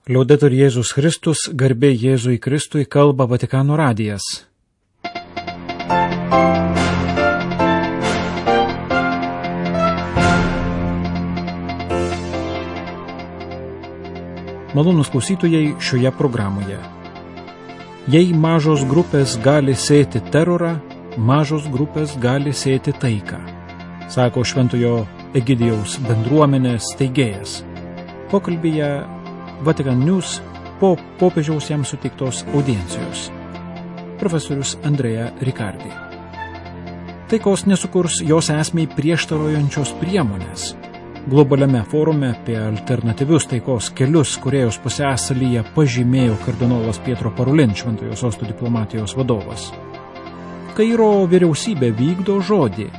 Liaudetur Jėzus Kristus, garbė Jėzui Kristui, kalba Vatikano radijas. Malonūs klausytojai šioje programoje. Jei mažos grupės gali sėti terorą, mažos grupės gali sėti taiką, sako Šventojo Egidijaus bendruomenės steigėjas. Pokalbyje Vatican News po popiežiaus jam suteiktos audiencijos. Profesorius Andrea Riccardi. Taikos nesukurs jos esmei prieštaraujančios priemonės. Globaliame forume apie alternatyvius taikos kelius Korėjos pusiasalyje pažymėjo kardinolas Pietro Parolin, Šventojo Sosto diplomatijos vadovas. Kairo vyriausybė vykdo žodį.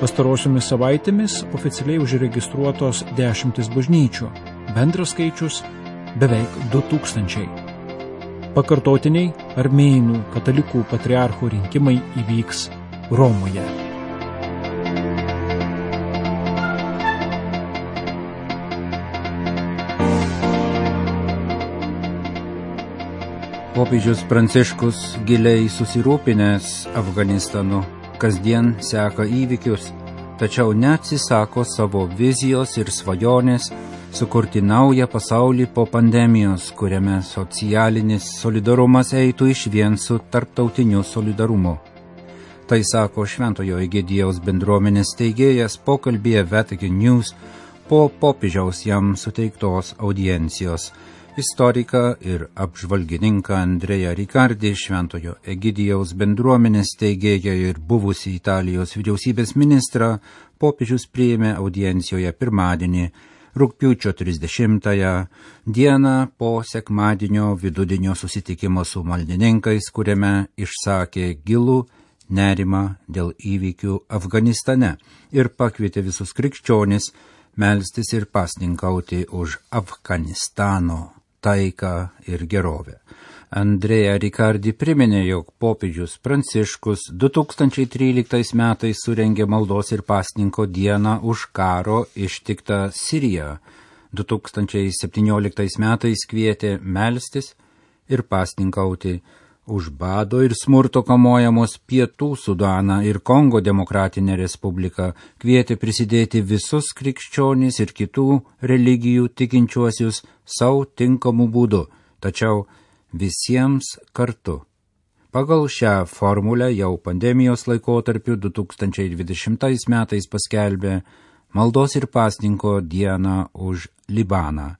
Pastarosiomis savaitėmis oficialiai užregistruotos 10 bažnyčių, bendras skaičius beveik 2000. Pakartotiniai armėnų katalikų patriarchų rinkimai įvyks Romoje. Popiežius Pranciškus giliai susirūpinęs Afganistanu, kasdien seka įvykius, tačiau neatsisako savo vizijos ir svajonės sukurti naują pasaulį po pandemijos, kuriame socialinis solidarumas eitų išvien su tarptautiniu solidarumu. Tai sako Šventojo Egidijaus bendruomenės steigėjas pokalbyje Vatican News po popiežiaus jam suteiktos audiencijos. Istoriką ir apžvalgininką Andrea Riccardi, Šventojo Egidijaus bendruomenės steigėją ir buvusį Italijos vyriausybės ministrą, popiežius priėmė audiencijoje pirmadienį, rugpjūčio 30 dieną po sekmadienio vidudienio susitikimo su maldininkais, kuriame išsakė gilų nerimą dėl įvykių Afganistane ir pakvietė visus krikščionis melstis ir pasninkauti už Afganistano taiką ir gerovę. Andrea Riccardi priminė, jog popiežius Pranciškus 2013 metais surengė maldos ir pasninko dieną už karo ištiktą Siriją. 2017 metais kvietė melstis ir pasninkauti už bado ir smurto kamuojamos Pietų Sudaną ir Kongo Demokratinę Respubliką, kvietė prisidėti visus krikščionis ir kitų religijų tikinčiuosius savo tinkamų būdų, tačiau visiems kartu. Pagal šią formulę jau pandemijos laikotarpiu 2020 metais paskelbė maldos ir pasninko dieną už Libaną.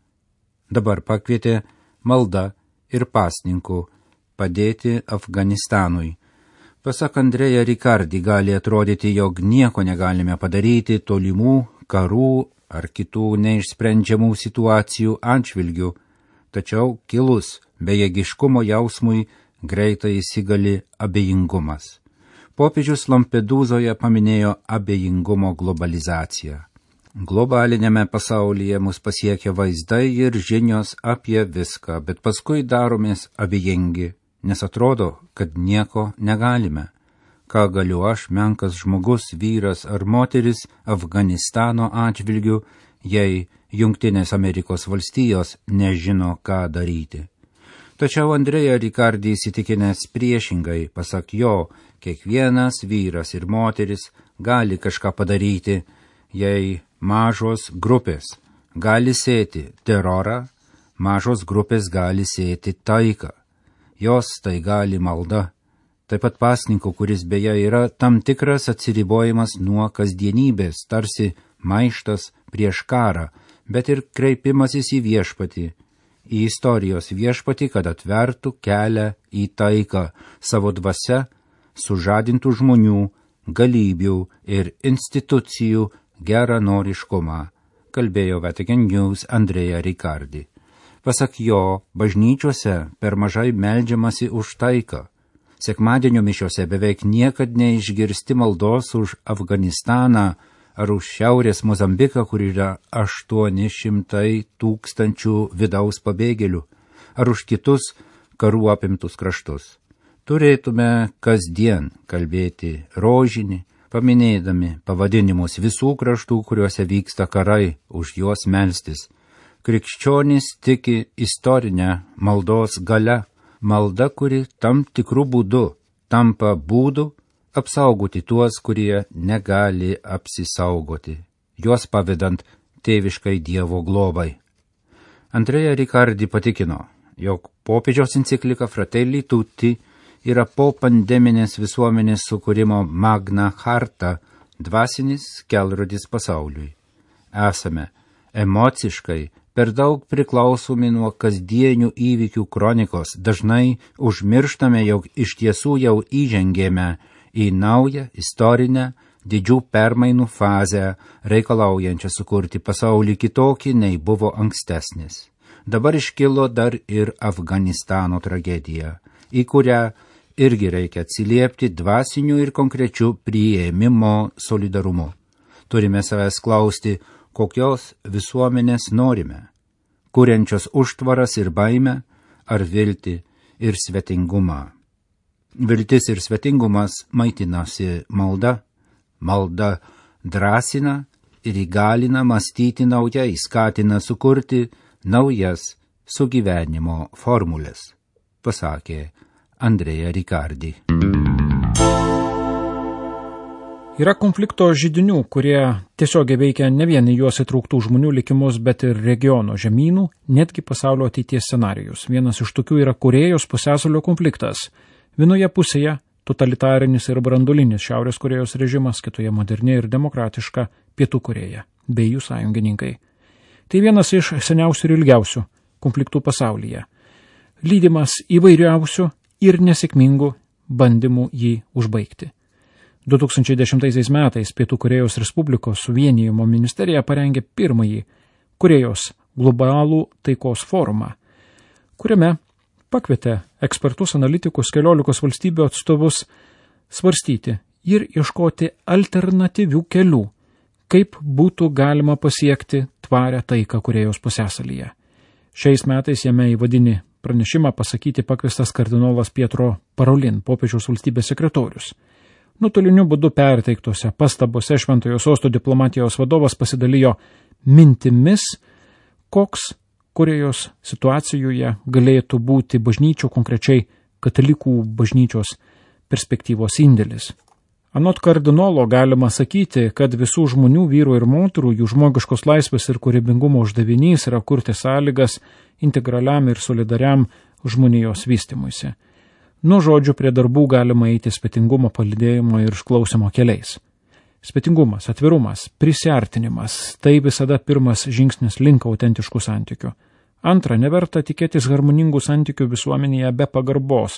Dabar pakvietė malda ir pasninku padėti Afganistanui. Pasak Andrea Riccardi, gali atrodyti, jog nieko negalime padaryti tolimų karų ar kitų neišsprendžiamų situacijų atžvilgių, tačiau kilus bejėgiškumo jausmui greitai įsigali abejingumas. Popiežius Lampedūzoje paminėjo abejingumo globalizaciją. Globalinėme pasaulyje mus pasiekia vaizdai ir žinios apie viską, bet paskui daromės abejingi, nes atrodo, kad nieko negalime. Ką galiu aš, menkas žmogus, vyras ar moteris Afganistano atžvilgiu, jei Jungtinės Amerikos valstijos nežino, ką daryti. Tačiau Andrea Riccardi įsitikinęs priešingai, pasak jo, kiekvienas vyras ir moteris gali kažką padaryti, jei mažos grupės gali sėti terorą, mažos grupės gali sėti taiką. Jos tai gali malda. Taip pat pasninko, kuris beje yra tam tikras atsiribojimas nuo kasdienybės, tarsi maištas prieš karą, bet ir kreipimasis į viešpatį, į istorijos viešpatį, kad atvertų kelią į taiką, savo dvasia sužadintų žmonių, galybių ir institucijų geranoriškumą, kalbėjo Vatican News Andrea Riccardi. Pasak jo, bažnyčiose per mažai meldžiamasi už taiką. Sekmadienio mišiose beveik niekad neišgirsti maldos už Afganistaną ar už Šiaurės Mozambiką, kur yra 800 000 vidaus pabėgėlių, ar už kitus karų apimtus kraštus. Turėtume kasdien kalbėti rožinį, paminėdami pavadinimus visų kraštų, kuriuose vyksta karai, už juos melstis. Krikščionys tiki istorinę maldos galia, malda, kuri tam tikrų būdų tampa būdu apsaugoti tuos, kurie negali apsisaugoti, juos pavedant tėviškai Dievo globai. Andrea Riccardi patikino, jog popiežiaus enciklika Fratelli Tutti yra po pandeminės visuomenės sukūrimo Magna Charta, dvasinis kelrodis pasauliui. Esame emociškai per daug priklausomi nuo kasdienių įvykių kronikos, dažnai užmirštame, jog iš tiesų jau įžengėme į naują istorinę didžių permainų fazę, reikalaujančią sukurti pasaulį kitokį, nei buvo ankstesnis. Dabar iškilo dar ir Afganistano tragedija, į kurią irgi reikia atsiliepti dvasiniu ir konkrečiu priėmimo solidarumu. Turime savęs klausti, kokios visuomenės norime, kuriančios užtvaras ir baimę, ar viltį ir svetingumą. Viltis ir svetingumas maitinasi malda, malda drąsina ir įgalina mąstyti naujai, skatina sukurti naujas sugyvenimo formulės, pasakė Andrea Riccardi. Yra konflikto židinių, kurie tiesiogiai veikia ne vien į juos įtrauktų žmonių likimus, bet ir regiono žemynų, netgi pasaulio ateities scenarijus. Vienas iš tokių yra Korėjos pusiasalio konfliktas. Vienoje pusėje totalitarinis ir branduolinis Šiaurės Korėjos režimas, kitoje moderni ir demokratiška Pietų Korėja, bei jų sąjungininkai. Tai vienas iš seniausių ir ilgiausių konfliktų pasaulyje, lydimas įvairiausių ir nesėkmingų bandymų jį užbaigti. 2010 metais Pietų Korėjos Respublikos suvienijimo ministerija parengė pirmąjį Korėjos globalų taikos forumą, kuriame pakvietė ekspertus analitikus 14 valstybių atstovus svarstyti ir ieškoti alternatyvių kelių, kaip būtų galima pasiekti tvarią taiką Korėjos pusiasalyje. Šiais metais jame įvadinį pranešimą pasakyti pakviestas kardinolas Pietro Parolin, popiežiaus valstybės sekretorius. Nuotoliniu būdu perteiktose pastabose Šventojo Sosto diplomatijos vadovas pasidalijo mintimis, koks Korėjos situacijoje galėtų būti bažnyčių, konkrečiai katalikų bažnyčios perspektyvos indėlis. Anot kardinolo galima sakyti, kad visų žmonių, vyrų ir moterų, jų žmogiškos laisvės ir kūrybingumo uždavinys yra kurti sąlygas integraliam ir solidariam žmonijos vystymuisi. Nuo žodžių prie darbų galima eiti svetingumo palydėjimo ir išklausimo keliais. Svetingumas, atvirumas, prisiartinimas – tai visada pirmas žingsnis link autentiškų santykių. Antra, neverta tikėtis harmoningų santykių visuomenėje be pagarbos,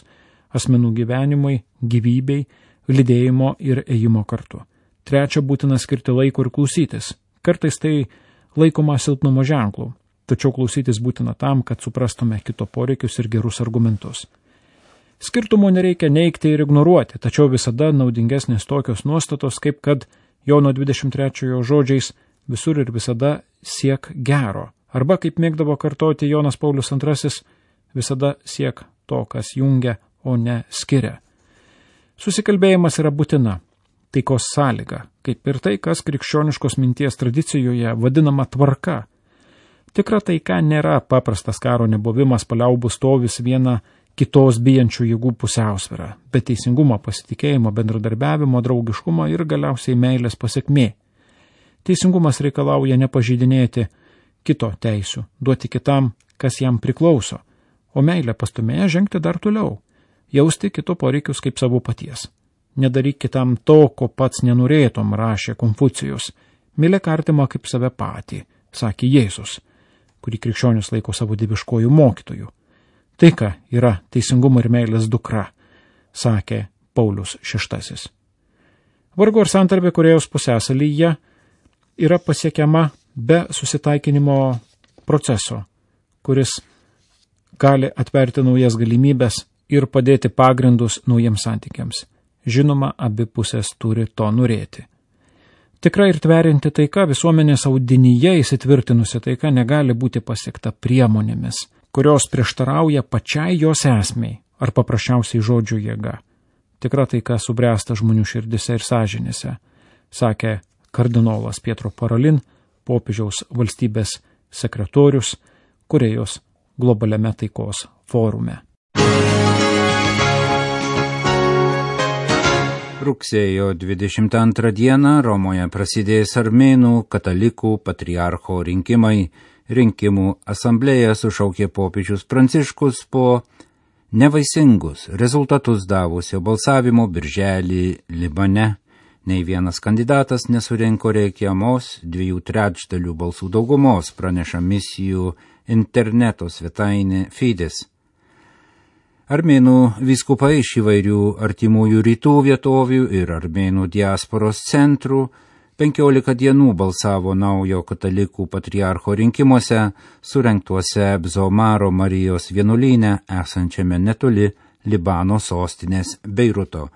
asmenų gyvenimui, gyvybei, lydėjimo ir ėjimo kartu. Trečia, būtina skirti laiko ir klausytis. Kartais tai laikoma silpnumo ženklų, tačiau klausytis būtina tam, kad suprastume kito poreikius ir gerus argumentus. Skirtumų nereikia neigti ir ignoruoti, tačiau visada naudingesnės tokios nuostatos, kaip kad Jono 23 žodžiais visur ir visada siek gero. Arba, kaip mėgdavo kartoti Jonas Paulius II, visada siek to, kas jungia, o ne skiria. Susikalbėjimas yra būtina, taikos sąlyga, kaip ir tai, kas krikščioniškos minties tradicijoje vadinama tvarka. Tikra taika nėra paprastas karo nebuvimas, paliaubų stovis viena kitos bijančių jėgų pusiausvyrą, bet teisingumo, pasitikėjimo, bendradarbiavimo, draugiškumo ir galiausiai meilės pasekmė. Teisingumas reikalauja nepažeidinėti kito teisių, duoti kitam, kas jam priklauso, o meilė pastumėja žengti dar toliau, jausti kito poreikius kaip savo paties. Nedaryk kitam to, ko pats nenorėtum, rašė Konfucijus. Mylėk artimą kaip save patį, sakė Jėzus, kurį krikščionis laiko savo dieviškojų mokytojų. Taika yra teisingumo ir meilės dukra, sakė Paulius VI. Vargu ar santarvė Korėjos pusiasalyje yra pasiekiama be susitaikinimo proceso, kuris gali atverti naujas galimybės ir padėti pagrindus naujiems santykiams. Žinoma, abi pusės turi to norėti. Tikra ir tverianti taika, visuomenės audinyje įsitvirtinusi taika negali būti pasiekta priemonėmis, kurios prieštarauja pačiai jos esmei ar paprasčiausiai žodžių jėga. Tikra taika subręsta žmonių širdise ir sąžinėse, sakė kardinolas Pietro Parolin, popiežiaus valstybės sekretorius Korėjos globaliame taikos forume. Rugsėjo 22 dieną Romoje prasidės armėnų katalikų patriarcho rinkimai. Rinkimų asamblėją sušaukė popiežius Pranciškus po nevaisingus rezultatus davusio balsavimo birželį Libane. Nei vienas kandidatas nesurinko reikiamos 2/3 balsų daugumos, praneša misijų interneto svetainė Fides. Armėnų vyskupai iš įvairių artimųjų rytų vietovių ir armėnų diasporos centrų 15 dienų balsavo naujo katalikų patriarcho rinkimuose, surengtuose Bzomaro Marijos vienuolyne esančiame netoli Libano sostinės Beiruto.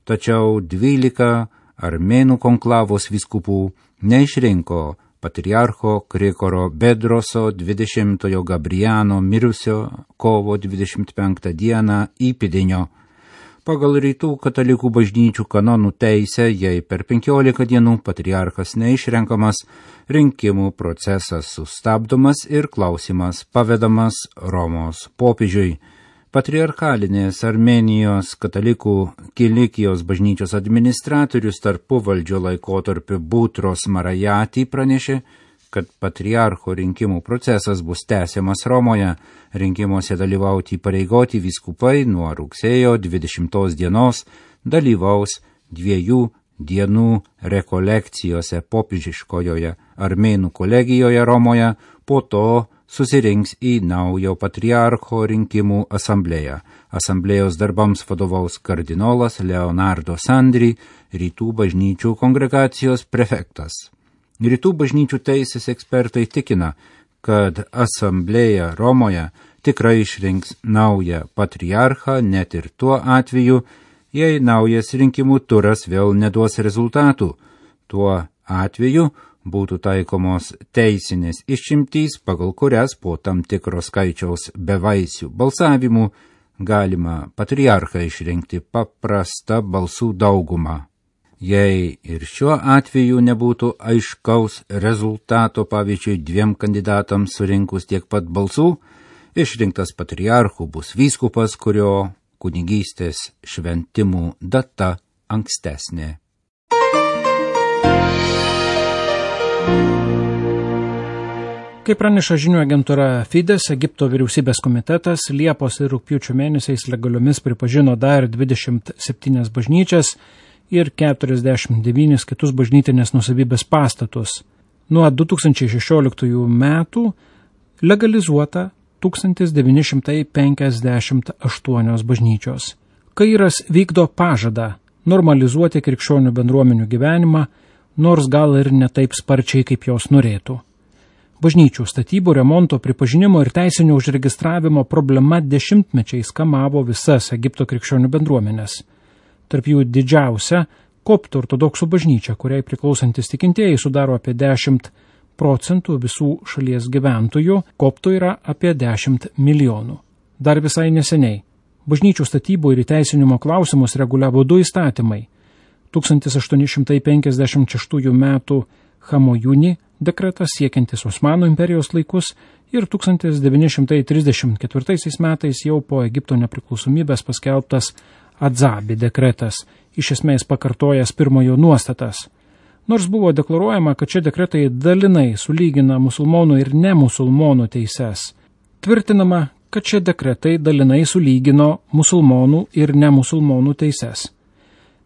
Tačiau 12 armėnų konklavos vyskupų neišrinko patriarcho Krikoro Bedroso 20 Gabriano mirusio kovo 25 dieną įpėdinio. Pagal rytų katalikų bažnyčių kanonų teisę, jei per 15 dienų patriarchas neišrenkamas, rinkimų procesas sustabdomas ir klausimas pavedamas Romos popiežiui. Patriarchalinės Armėnijos katalikų Kilikijos bažnyčios administratorius tarpuvaldžio laikotarpiu Butros Marajati pranešė, kad patriarcho rinkimų procesas bus tęsiamas Romoje. Rinkimuose dalyvauti įpareigoti vyskupai nuo rugsėjo 20 dienos dalyvaus 2 dienų rekolekcijose popiežiškojoje Armėnų kolegijoje Romoje, po to susirinks į naujo patriarcho rinkimų asamblėją. Asamblėjos darbams vadovaus kardinolas Leonardo Sandri, rytų bažnyčių kongregacijos prefektas. Rytų bažnyčių teisės ekspertai tikina, kad asamblėja Romoje tikrai išrinks naują patriarchą, net ir tuo atveju, jei naujas rinkimų turas vėl neduos rezultatų. Tuo atveju būtų taikomos teisinės išimtys, pagal kurias po tam tikro skaičiaus bevaisių balsavimų galima patriarchą išrinkti paprasta balsų dauguma. Jei ir šiuo atveju nebūtų aiškaus rezultato, pavyzdžiui, 2 kandidatams surinkus tiek pat balsų, išrinktas patriarchu bus vyskupas, kurio kunigystės šventimų data ankstesnė. Kaip praneša žinių agentūra Fides, Egipto vyriausybės komitetas Liepos ir rugpjūčio mėnesiais legaliomis pripažino dar 27 bažnyčias ir 49 kitus bažnytinės nuosavybės pastatus. Nuo 2016 metų legalizuota 1958 bažnyčios. Kairas vykdo pažadą normalizuoti krikščionių bendruomenių gyvenimą, nors gal ir ne taip sparčiai, kaip jos norėtų. Bažnyčių statybų, remonto, pripažinimo ir teisinio užregistravimo problema dešimtmečiais kamavo visas Egipto krikščionių bendruomenės. Tarp jų didžiausia koptų ortodoksų bažnyčia, kuriai priklausantis tikintieji sudaro apie 10% visų šalies gyventojų, koptų yra apie 10 milijonų. Dar visai neseniai bažnyčių statybų ir įteisinimo klausimus reguliavo 2 įstatymai. 1856 metų Hamojuni dekretas siekiantis Osmanų imperijos laikus ir 1934 metais jau po Egipto nepriklausomybės paskelbtas Adzabi dekretas, iš esmės pakartojęs pirmojo nuostatas. Nors buvo deklaruojama, kad šie dekretai dalinai sulygina musulmonų ir nemusulmonų teises, tvirtinama, kad šie dekretai dalinai sulygino musulmonų ir nemusulmonų teises.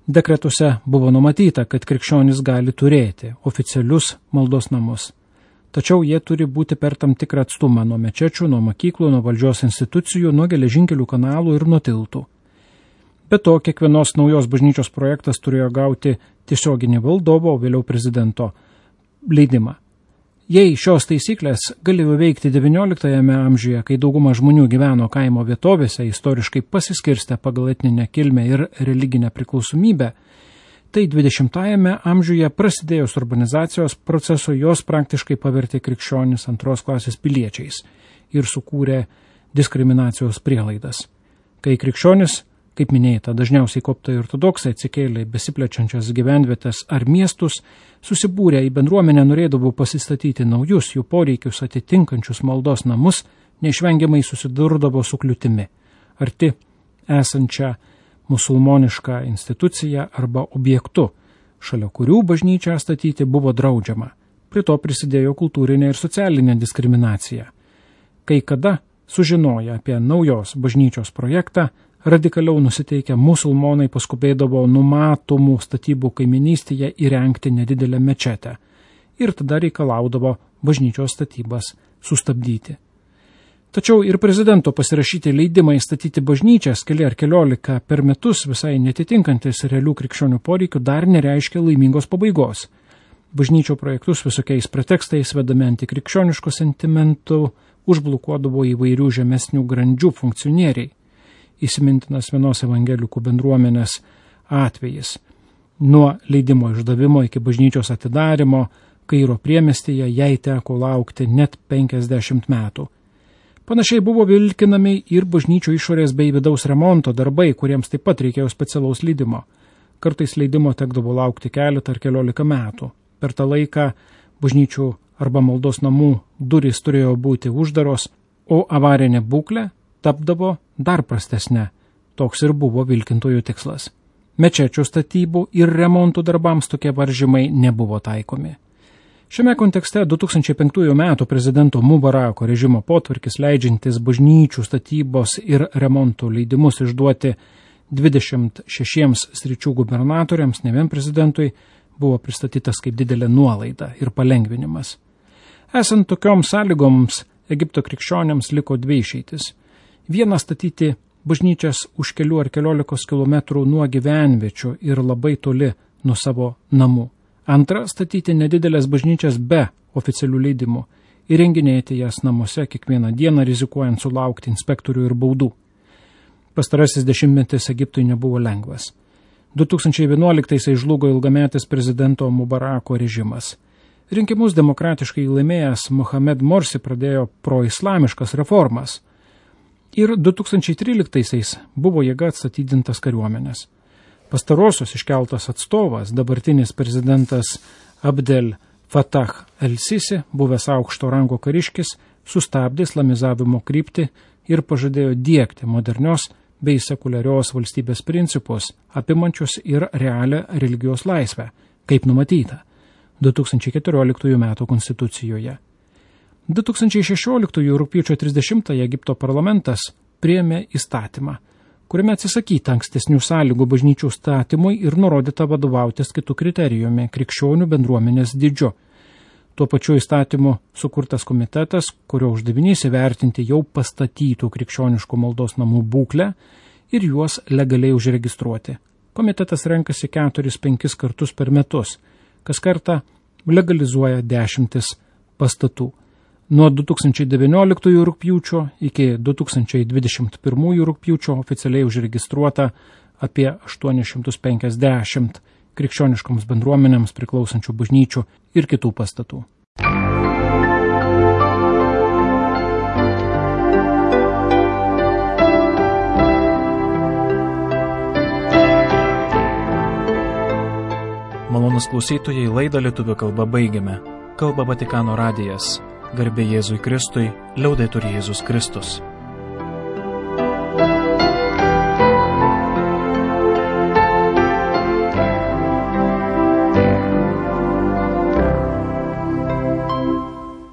Dekretuose buvo numatyta, kad krikščionys gali turėti oficialius maldos namus, tačiau jie turi būti per tam tikrą atstumą nuo mečečių, nuo mokyklų, nuo valdžios institucijų, nuo geležinkelių kanalų ir nuo tiltų. Be to, kiekvienos naujos bažnyčios projektas turėjo gauti tiesioginį valdovo, o vėliau prezidento leidimą. Jei šios taisyklės galėjo veikti XIX amžiuje, kai dauguma žmonių gyveno kaimo vietovėse, istoriškai pasiskirstę pagal etninę kilmę ir religinę priklausomybę, tai XX amžiuje prasidėjus urbanizacijos proceso jos praktiškai pavertė krikščionis antros klasės piliečiais ir sukūrė diskriminacijos prielaidas. Kai krikščionis Kaip minėta, dažniausiai koptai ortodoksai atsikėlė į besiplečiančias gyvenvietės ar miestus, susibūrę į bendruomenę norėdavo pasistatyti naujus jų poreikius atitinkančius maldos namus, neišvengiamai susidurdavo su kliūtimi, arti esančią musulmonišką instituciją arba objektu, šalia kurių bažnyčią statyti buvo draudžiama. Prie to prisidėjo kultūrinė ir socialinė diskriminacija. Kai kada sužinoję apie naujos bažnyčios projektą, radikaliau nusiteikę musulmonai paskubėdavo numatomų statybų kaiminystėje įrengti nedidelę mečetę ir tada reikalaudavo bažnyčios statybas sustabdyti. Tačiau ir prezidento pasirašyti leidimai statyti bažnyčias keli ar keliolika per metus visai netitinkantis realių krikščionių poreikių dar nereiškia laimingos pabaigos. Bažnyčio projektus visokiais pretekstais vedami antikrikščioniško sentimentų užblokuodavo įvairių žemesnių grandžių funkcionieriai. Įsimintinas vienos evangelikų bendruomenės atvejis. Nuo leidimo išdavimo iki bažnyčios atidarimo Kairo priemestyje jai teko laukti net 50 metų. Panašiai buvo vilkinami ir bažnyčių išorės bei vidaus remonto darbai, kuriems taip pat reikėjo specialaus leidimo. Kartais leidimo tekdavo laukti keletą ar keliolika metų. Per tą laiką bažnyčių arba maldos namų durys turėjo būti uždaros, o avarinė būklė tapdavo dar prastesnė. Toks ir buvo vilkintojų tikslas. Mečečių statybų ir remontų darbams tokie varžymai nebuvo taikomi. Šiame kontekste 2005 metų prezidento Mubarako režimo potvarkis leidžiantis bažnyčių statybos ir remontų leidimus išduoti 26 sričių gubernatoriams, ne vien prezidentui, buvo pristatytas kaip didelė nuolaida ir palengvinimas. Esant tokioms sąlygoms, Egipto krikščionėms liko dvi išeitis. Viena statyti bažnyčias už kelių ar keliolikos kilometrų nuo gyvenviečių ir labai toli nuo savo namų. Antra, statyti nedidelės bažnyčias be oficialių leidimų, įrenginėti jas namuose kiekvieną dieną, rizikuojant sulaukti inspektorių ir baudų. Pastarasis dešimtmetis Egiptui nebuvo lengvas. 2011 žlugo ilgametis prezidento Mubarako režimas. Rinkimus demokratiškai laimėjęs Mohamed Morsi pradėjo proislamiškas reformas. Ir 2013 buvo jėga atstatydintas kariuomenės. Pastarosios iškeltas atstovas, dabartinis prezidentas Abdel Fattah el-Sisi, buvęs aukšto rango kariškis, sustabdė islamizavimo kryptį ir pažadėjo diegti modernios bei sekuliarios valstybės principus, apimančius ir realią religijos laisvę, kaip numatyta 2014 m. konstitucijoje. 2016 rugpjūčio 30 Egipto parlamentas priėmė įstatymą, kuriame atsisakyta ankstesnių sąlygų bažnyčių statymui ir nurodyta vadovautis kitų kriterijumi – krikščionių bendruomenės dydžiu. Tuo pačiu įstatymu sukurtas komitetas, kurio uždavinys įvertinti jau pastatytų krikščioniškų maldos namų būklę ir juos legaliai užregistruoti. Komitetas renkasi 4-5 kartus per metus, kas kartą legalizuoja 10 pastatų. Nuo 2019 rugpjūčio iki 2021 rugpjūčio oficialiai užregistruota apie 850 krikščioniškoms bendruomenėms priklausančių bažnyčių ir kitų pastatų. Malonūs klausytojai, laidą lietuvių kalba baigiame. Kalba Vatikano radijas. Garbė Jėzui Kristui, liaudetur Jėzus Kristus.